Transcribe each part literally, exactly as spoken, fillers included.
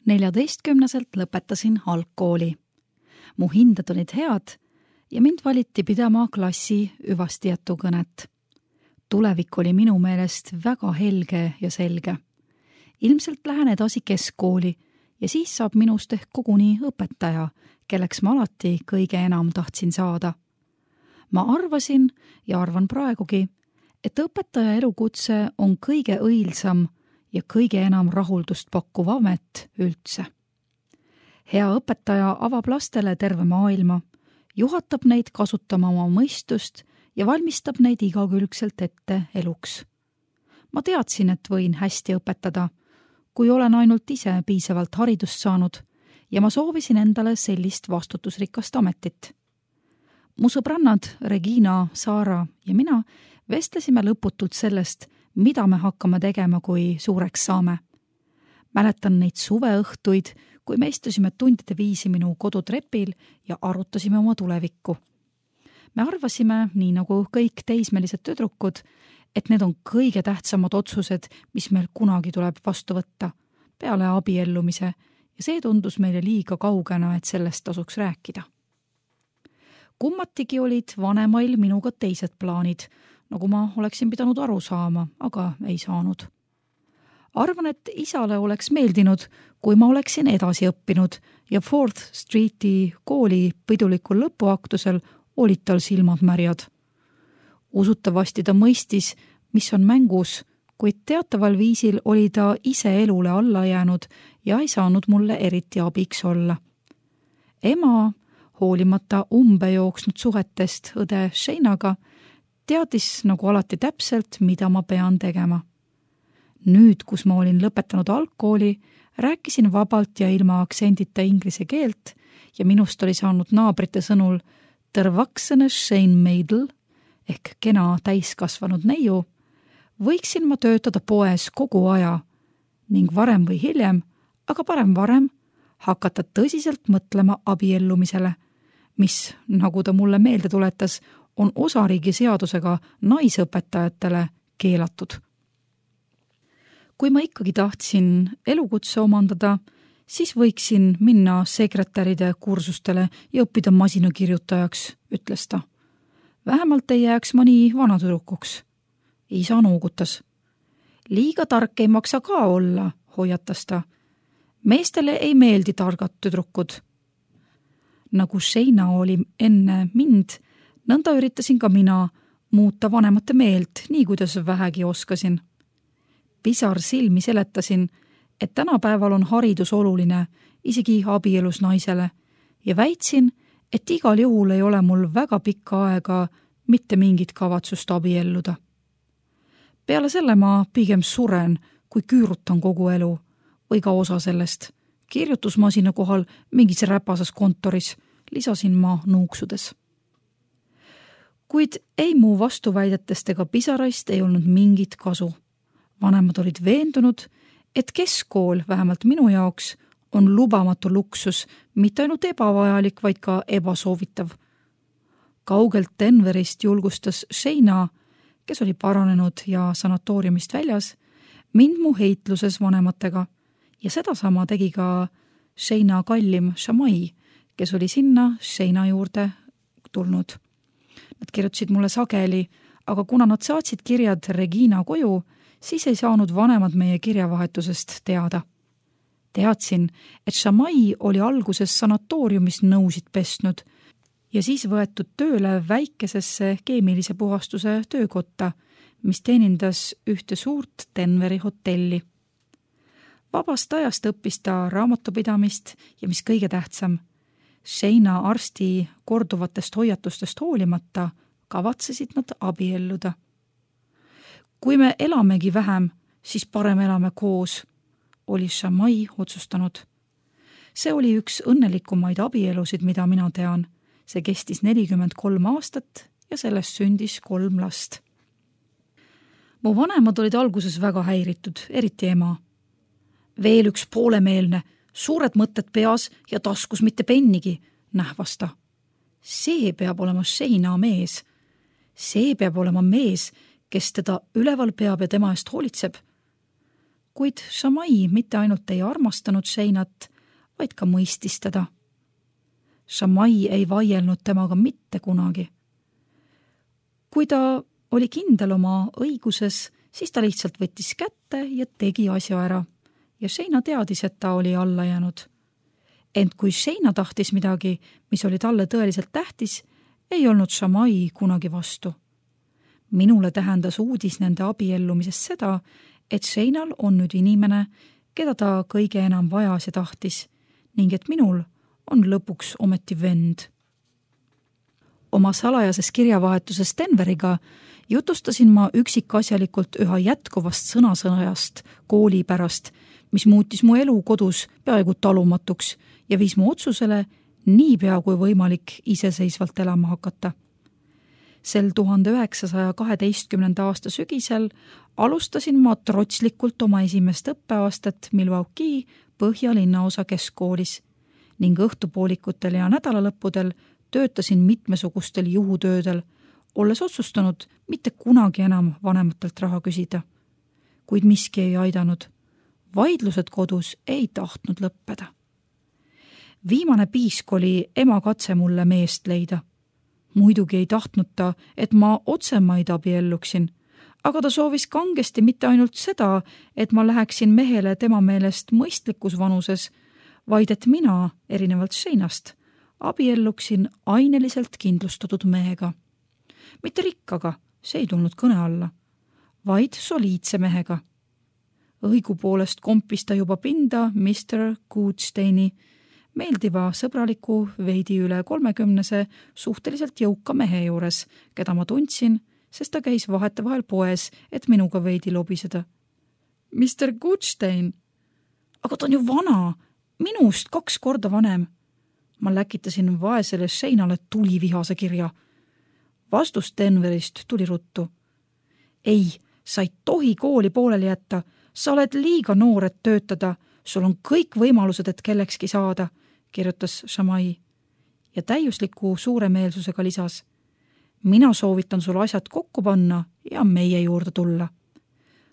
neljateistkümneselt lõpetasin algkooli. Mu hinded olid head ja mind valiti pidama klassi hüvastijätu kõnet. Tulevik oli minu meelest väga helge ja selge. Ilmselt lähen edasi keskkooli ja siis saab minust ehk koguni õpetaja, kelleks ma alati kõige enam tahtsin saada. Ma arvasin ja arvan praegugi, et õpetaja elukutse on kõige õilsam ja kõige enam rahuldust pakkuv amet üldse. Hea õpetaja avab lastele terve maailma, juhatab neid kasutama oma mõistust ja valmistab neid igakülgselt ette eluks. Ma teadsin, et võin hästi õpetada, kui olen ainult ise piisavalt haridust saanud ja ma soovisin endale sellist vastutusrikast ametit. Mu sõbrannad Regina, Saara ja mina vestlesime lõputult sellest, mida me hakkame tegema, kui suureks saame. Mäletan neid suveõhtuid, kui me istusime tundide viisi minu kodutrepil ja arutasime oma tulevikku. Me arvasime, nii nagu kõik teismelised tüdrukud, et need on kõige tähtsamad otsused, mis meil kunagi tuleb vastu võtta, peale abiellumise, ja see tundus meile liiga kaugena, et sellest tasuks rääkida. Kummatigi olid vanemail minuga teised plaanid, nagu ma oleksin pidanud aru saama, aga ei saanud. Arvan, et isale oleks meeldinud, kui ma oleksin edasi õppinud ja Fourth Streeti kooli pidulikul lõpuaktusel olid tal silmad märjad. Usutavasti ta mõistis, mis on mängus, kuid teataval viisil oli ta ise elule alla jäänud ja ei saanud mulle eriti abiks olla. Ema, hoolimata umbe jooksnud suhetest õde Sheinaga, teadis nagu alati täpselt, mida ma pean tegema. Nüüd, kus ma olin lõpetanud algkooli, rääkisin vabalt ja ilma aktsendita inglise keelt ja minust oli saanud naabrite sõnul tervaksene Shane Meidl ehk kena täiskasvanud neiu, võiksin ma töötada poes kogu aja ning varem või hiljem, aga parem varem, hakata tõsiselt mõtlema abiellumisele, mis, nagu ta mulle meelde tuletas, on osariigi seadusega naisõpetajatele keelatud. Kui ma ikkagi tahtsin elukutse omandada, siis võiksin minna sekretäride kursustele ja õppida masinakirjutajaks, ütles ta. Vähemalt ei jääks ma nii vanatüdrukuks. Isa noogutas. Liiga tark ei maksa ka olla, hoiatas ta. Meestele ei meeldi targad tüdrukud. Nagu Sheina oli enne mind, nõnda üritasin ka mina muuta vanemate meelt, nii kuidas vähegi oskasin. Pisar silmi seletasin, et tänapäeval on haridus oluline, isegi abielus naisele, ja väitsin, et igal juhul ei ole mul väga pikka aega mitte mingit kavatsust abielluda. Peale selle ma pigem suren, kui küürutan kogu elu, või ka osa sellest. Kirjutusmasina kohal mingis räpasas kontoris, lisasin ma nuuksudes. Kuid ei mu vastuväidetest ega pisaraist ei olnud mingit kasu. Vanemad olid veendunud, et keskkool, vähemalt minu jaoks, on lubamatu luksus, mitte ainult ebavajalik, vaid ka ebasoovitav. Kaugelt Denverist julgustas Sheina, kes oli paranenud ja sanatooriumist väljas, mind mu heitluses vanematega ja sedasama tegi ka Sheina kallim Shamai, kes oli sinna Sheina juurde tulnud. Nad kirjutasid mulle sageli, aga kuna nad saatsid kirjad Regina koju, siis ei saanud vanemad meie kirjavahetusest teada. Teadsin, et Shamai oli alguses sanatooriumis nõusid pestnud ja siis võetud tööle väikesesse keemilise puhastuse töökotta, mis teenindas ühte suurt Denveri hotelli. Vabast ajast õppis ta raamatupidamist ja mis kõige tähtsam, Sheina arsti korduvatest hoiatustest hoolimata kavatsesid nad abielluda. Kui me elamegi vähem, siis parem elame koos, oli Shamai otsustanud. See oli üks õnnelikumaid abielusid, mida mina tean. See kestis nelikümmend kolm aastat ja sellest sündis kolm last. Mu vanemad olid alguses väga häiritud, eriti ema. Veel üks poolemeelne, suured mõtted peas ja taskus mitte pennigi, nähvas ta. See peab olema Sheina mees. See peab olema mees, kes teda üleval peab ja tema eest hoolitseb. kuid Shamai mitte ainult ei armastanud Sheinat, vaid ka mõistis teda. Shamai ei vaielnud temaga mitte kunagi. Kui ta oli kindel oma õiguses, siis ta lihtsalt võttis kätte ja tegi asja ära ja Sheina teadis, et ta oli alla jäänud. Ent kui Sheina tahtis midagi, mis oli talle tõeliselt tähtis, ei olnud Shamai kunagi vastu. Minule tähendas uudis nende abiellumisest seda, et Sheinal on nüüd inimene, keda ta kõige enam vajas ja tahtis ning et minul on lõpuks ometi vend. Oma salajases kirjavahetuses Denveriga jutustasin ma üksikasjalikult üha jätkuvast sõnasõnajast kooli pärast, mis muutis mu elu kodus peaaegu talumatuks ja viis mu otsusele niipea kui võimalik iseseisvalt elama hakata. Sel tuhande üheksasaja kaheteistkümnenda aasta sügisel alustasin ma trotslikult oma esimest õppeaastat Milwaukee Põhjalinnaosa keskkoolis ning õhtupoolikutel ja nädalalõppudel töötasin mitmesugustel juhutöödel, olles otsustanud mitte kunagi enam vanematelt raha küsida. Kuid miski ei aidanud. Vaidlused kodus ei tahtnud lõppeda. Viimane piisk oli ema katse mulle meest leida. Muidugi ei tahtnud ta, et ma otsemaid abielluksin, aga ta soovis kangesti mitte ainult seda, et ma läheksin mehele tema meelest mõistlikus vanuses, vaid et mina, erinevalt Sheinast, abielluksin aineliselt kindlustatud mehega. Mitte rikkaga, see ei tulnud kõne alla, vaid soliidse mehega. Õigupoolest kompis ta juba pinda mister Goodsteini, meeldiva sõbraliku veidi üle kolmekümnese suhteliselt jõuka mehe juures, keda ma tundsin, sest ta käis vahetevahel poes, et minuga veidi lobiseda. mister Goodstein, aga ta on ju vana, minust kaks korda vanem. Ma läkitasin vaesele Sheinale tulivihase kirja. Vastus Denverist tuli ruttu. Ei, sa ei tohi kooli pooleli jätta, sa oled liiga noor, et töötada, sul on kõik võimalused, et kellekski saada, kirjutas Shamai ja täiusliku suuremeelsusega lisas. Mina soovitan sul asjad kokku panna ja meie juurde tulla.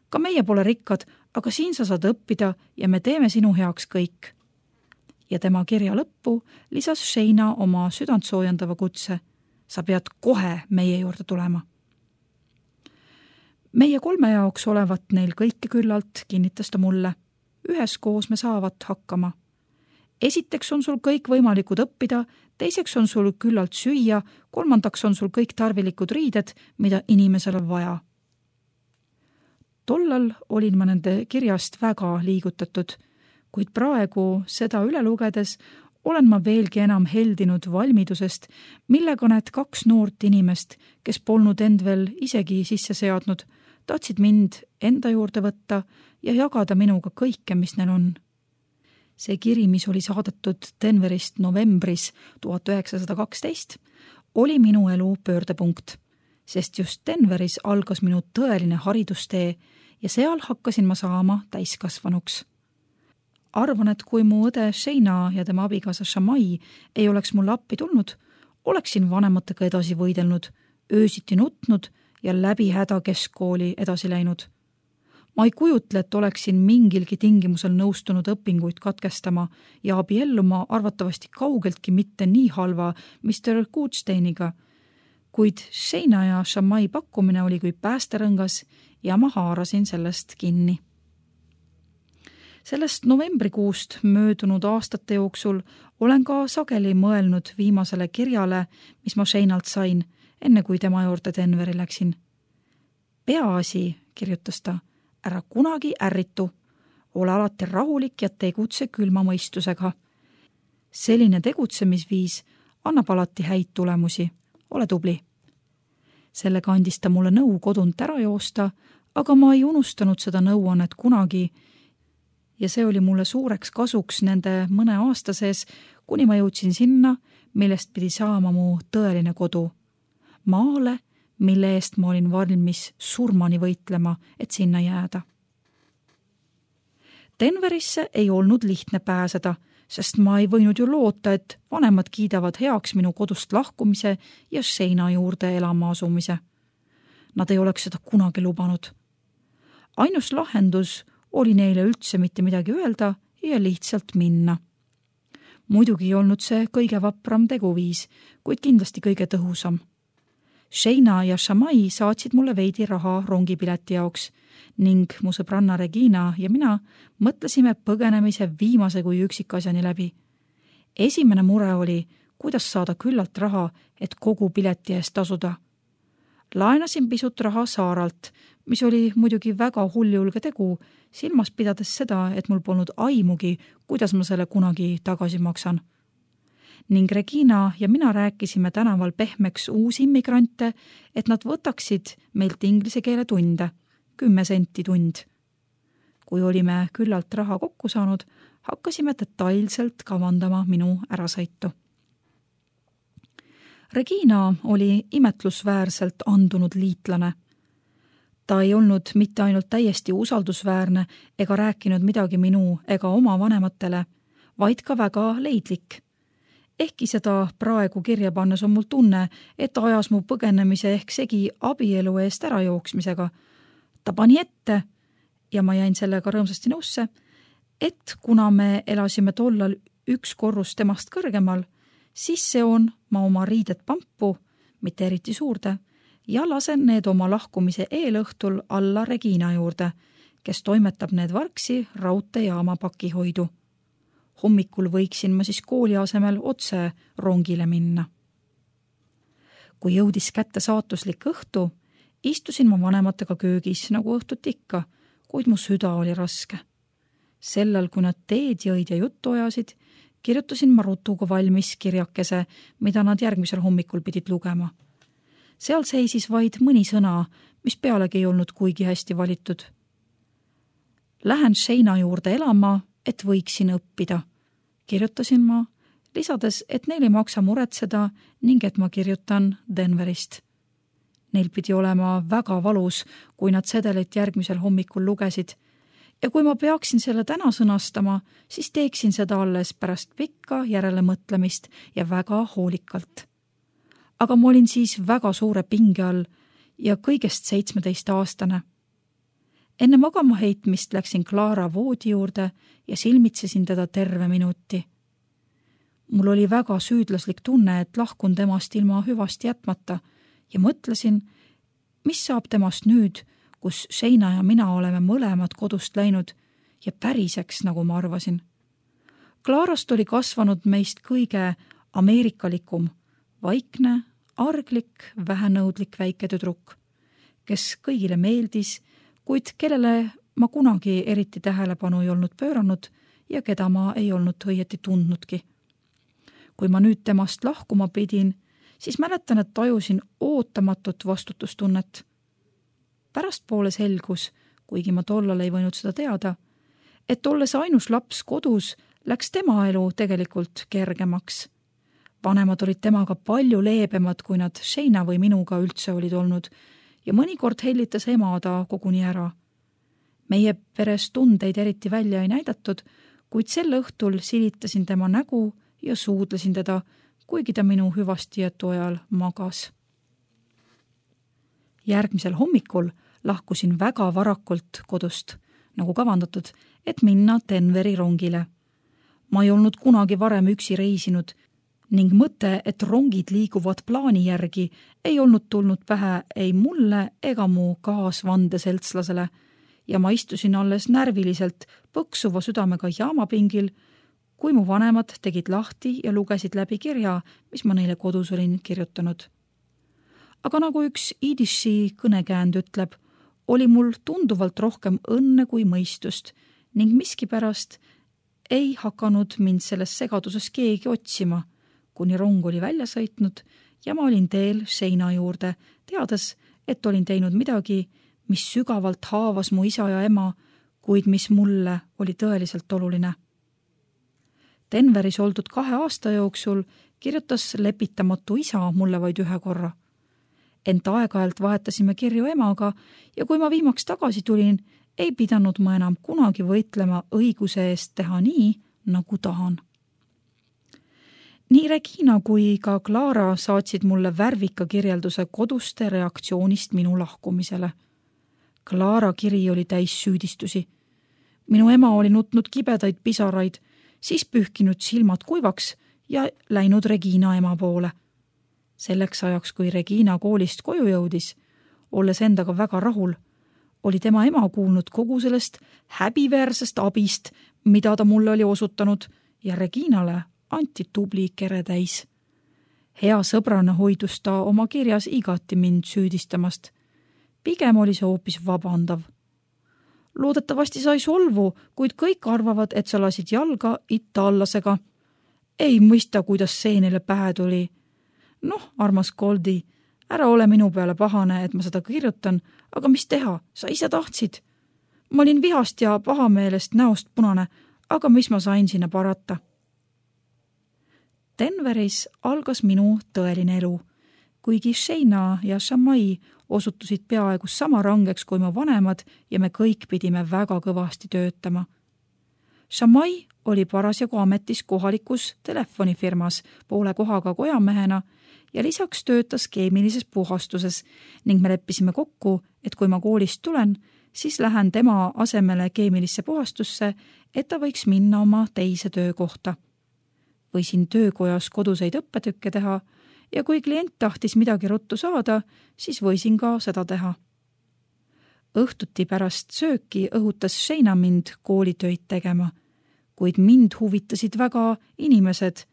Ka meie pole rikkad, aga siin sa saad õppida ja me teeme sinu heaks kõik. Ja tema kirja lõppu lisas Sheina oma südantsoojendava kutse. Sa pead kohe meie juurde tulema. Meie kolme jaoks olevat neil kõike küllalt, kinnitas ta mulle. Üheskoos me saavat hakkama. Esiteks on sul kõik võimalikud õppida, teiseks on sul küllalt süüa, kolmandaks on sul kõik tarvilikud riided, mida inimesel on vaja. Tollal olin ma nende kirjast väga liigutatud, kuid praegu seda üle lugedes olen ma veelgi enam heldinud valmidusest, millega need kaks noort inimest, kes polnud end veel isegi sisse seadnud, tahtsid mind enda juurde võtta ja jagada minuga kõike, mis neil on. See kiri, mis oli saadetud Denverist novembris tuhat üheksasada kaksteist, oli minu elu pöördepunkt, sest just Denveris algas minu tõeline haridustee ja seal hakkasin ma saama täiskasvanuks. Arvan, et kui mu õde Sheina ja tema abikaasa Shamai ei oleks mulle appi tulnud, oleksin vanematega edasi võidelnud, öösiti nutnud ja läbi häda keskkooli edasi läinud. Ma ei kujutle, et oleksin mingilgi tingimusel nõustunud õpinguid katkestama ja abielluma arvatavasti kaugeltki mitte nii halva mister Goodsteiniga, kuid Sheina ja Shamai pakkumine oli kui päästerõngas ja ma haarasin sellest kinni. Sellest novembrikuust möödunud aastate jooksul olen ka sageli mõelnud viimasele kirjale, mis ma Sheinalt sain, enne kui tema juurde Denveri läksin. Peaasi, kirjutas ta, ära kunagi ärritu, ole alati rahulik ja tegutse külma mõistusega. Selline tegutsemisviis annab alati häid tulemusi, ole tubli. Sellega andis ta mulle nõu kodunt ära joosta, aga ma ei unustanud seda nõuannet kunagi ja see oli mulle suureks kasuks nende mõne aasta sees, kuni ma jõudsin sinna, millest pidi saama mu tõeline kodu. Maale, mille eest ma olin valmis surmani võitlema, et sinna jääda. Denverisse ei olnud lihtne pääseda, sest ma ei võinud ju loota, et vanemad kiidavad heaks minu kodust lahkumise ja Sheina juurde elama asumise. Nad ei oleks seda kunagi lubanud. Ainus lahendus oli neile üldse mitte midagi öelda ja lihtsalt minna. Muidugi ei olnud see kõige vapram teguviis, kuid kindlasti kõige tõhusam. Sheina ja Shamai saatsid mulle veidi raha rongipileti jaoks ning mu sõbranna Regina ja mina mõtlesime põgenemise viimase kui üksikasjani läbi. Esimene mure oli, kuidas saada küllalt raha, et kogu pileti eest tasuda. Laenasin pisut raha Saaralt, mis oli muidugi väga hulljulge tegu, silmas pidades seda, et mul polnud aimugi, kuidas ma selle kunagi tagasi maksan. Ning Regina ja mina rääkisime tänaval pehmeks uusi immigrante, et nad võtaksid meilt inglise keele tunde, kümme senti tund. Kui olime küllalt raha kokku saanud, hakkasime detailselt kavandama minu ärasõitu. Regina oli imetlusväärselt andunud liitlane. Ta ei olnud mitte ainult täiesti usaldusväärne ega rääkinud midagi minu ega oma vanematele, vaid ka väga leidlik. Ehkki seda praegu kirja pannes on mul tunne, et ta ajas mu põgenemise ehk segi abielu eest ärajooksmisega. Ta pani ette, ja ma jäin sellega rõõmsasti nõusse, et kuna me elasime tollal üks korrus temast kõrgemal, siis seon ma oma riided pampu, mitte eriti suurde, ja lasen need oma lahkumise eelõhtul alla Regina juurde, kes toimetab need vargsi raudteejaama pakihoidu. Hommikul võiksin ma siis kooli asemel otse rongile minna. Kui jõudis kätte saatuslik õhtu, istusin ma vanematega köögis nagu õhtut ikka, kuid mu süda oli raske. Sellel, kui nad teed jõid ja juttu ajasid, kirjutasin ma rutuga valmis kirjakese, mida nad järgmisel hommikul pidid lugema. Seal seisis vaid mõni sõna, mis pealegi ei olnud kuigi hästi valitud. Lähen Sheina juurde elama, et võiksin õppida, kirjutasin ma, lisades, et neil ei maksa muretseda ning et ma kirjutan Denverist. Neil pidi olema väga valus, kui nad sedelit järgmisel hommikul lugesid, ja kui ma peaksin selle täna sõnastama, siis teeksin seda alles pärast pikka järelemõtlemist ja väga hoolikalt. Aga ma olin siis väga suure pinge all ja kõigest seitsmeteist aastane. Enne magama heitmist läksin Clara voodi juurde ja silmitsesin teda terve minuti. Mul oli väga süüdlaslik tunne, et lahkun temast ilma hüvasti jätmata ja mõtlesin, mis saab temast nüüd, kus Sheina ja mina oleme mõlemad kodust läinud ja päriseks, nagu ma arvasin. Clarast oli kasvanud meist kõige ameerikalikum, vaikne, arglik, vähenõudlik väike tüdruk, kes kõigile meeldis, kuid kellele ma kunagi eriti tähelepanu ei olnud pööranud ja keda ma ei olnud õieti tundnudki. Kui ma nüüd temast lahkuma pidin, siis mäletan, et tajusin ootamatut vastutustunnet. Pärastpoole selgus, kuigi ma tollal ei võinud seda teada, et olles ainus laps kodus, läks tema elu tegelikult kergemaks. Vanemad olid temaga palju leebemad, kui nad Sheina või minuga üldse olid olnud ja mõnikord hellitas ema ta koguni ära. Meie peres tundeid eriti välja ei näidatud, kuid sel õhtul silitasin tema nägu ja suudlesin teda, kuigi ta minu hüvastijätu ajal magas. Järgmisel hommikul lahkusin väga varakult kodust, nagu kavandatud, et minna Denveri rongile. Ma ei olnud kunagi varem üksi reisinud ning mõte, et rongid liiguvad plaani järgi, ei olnud tulnud pähe ei mulle ega mu kaasvandeseltslasele ja ma istusin alles närviliselt põksuva südamega jaamapingil, kui mu vanemad tegid lahti ja lugesid läbi kirja, mis ma neile kodus olin kirjutanud. Aga nagu üks idiši kõnekäänd ütleb, oli mul tunduvalt rohkem õnne kui mõistust ning miskipärast ei hakanud mind selles segaduses keegi otsima, kuni rong oli välja sõitnud ja ma olin teel Sheina juurde, teades, et olin teinud midagi, mis sügavalt haavas mu isa ja ema, kuid mis mulle oli tõeliselt oluline. Denveris oldud kahe aasta jooksul kirjutas lepitamatu isa mulle vaid ühe korra. Ent aeg-ajalt vahetasime kirju emaga ja kui ma viimaks tagasi tulin, ei pidanud ma enam kunagi võitlema õiguse eest teha nii, nagu tahan. Nii Regina kui ka Clara saatsid mulle värvika kirjelduse koduste reaktsioonist minu lahkumisele. Clara kiri oli täis süüdistusi. minu ema oli nutnud kibedaid pisaraid, siis pühkinud silmad kuivaks ja läinud Regina ema poole. Selleks ajaks, kui Regina koolist koju jõudis, olles endaga väga rahul, oli tema ema kuulnud kogu sellest häbiväärsest abist, mida ta mulle oli osutanud ja Reginale anti tubli kere täis. Hea sõbrana hoidus ta oma kirjas igati mind süüdistamast. Pigem oli see hoopis vabandav. Loodetavasti sai solvu, kuid kõik arvavad, et sa lasid jalga itaallasega. Ei mõista, kuidas see neile pähe tuli. Noh, armas Goldi, ära ole minu peale pahane, et ma seda kirjutan, aga mis teha, sa ise tahtsid. Ma olin vihast ja pahameelest näost punane, aga mis ma sain sinna parata. Denveris algas minu tõeline elu, kuigi Sheina ja Shamai osutusid peaaegu sama rangeks kui mu vanemad ja me kõik pidime väga kõvasti töötama. Shamai oli parasjagu ametis kohalikus telefonifirmas poole kohaga kojamehena ja lisaks töötas keemilises puhastuses ning me leppisime kokku, et kui ma koolist tulen, siis lähen tema asemele keemilisse puhastusse, et ta võiks minna oma teise töökohta. Võisin töökojas koduseid õppetükke teha ja kui klient tahtis midagi ruttu saada, siis võisin ka seda teha. Õhtuti pärast sööki õhutas Sheina mind koolitöid tegema, kuid mind huvitasid väga inimesed,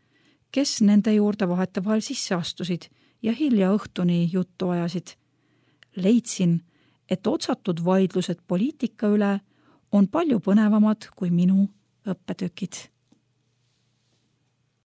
kes nende juurde vahetevahel sisse astusid ja hilja õhtuni juttu ajasid. Leidsin, et otsatud vaidlused poliitika üle on palju põnevamad kui minu õppetükid.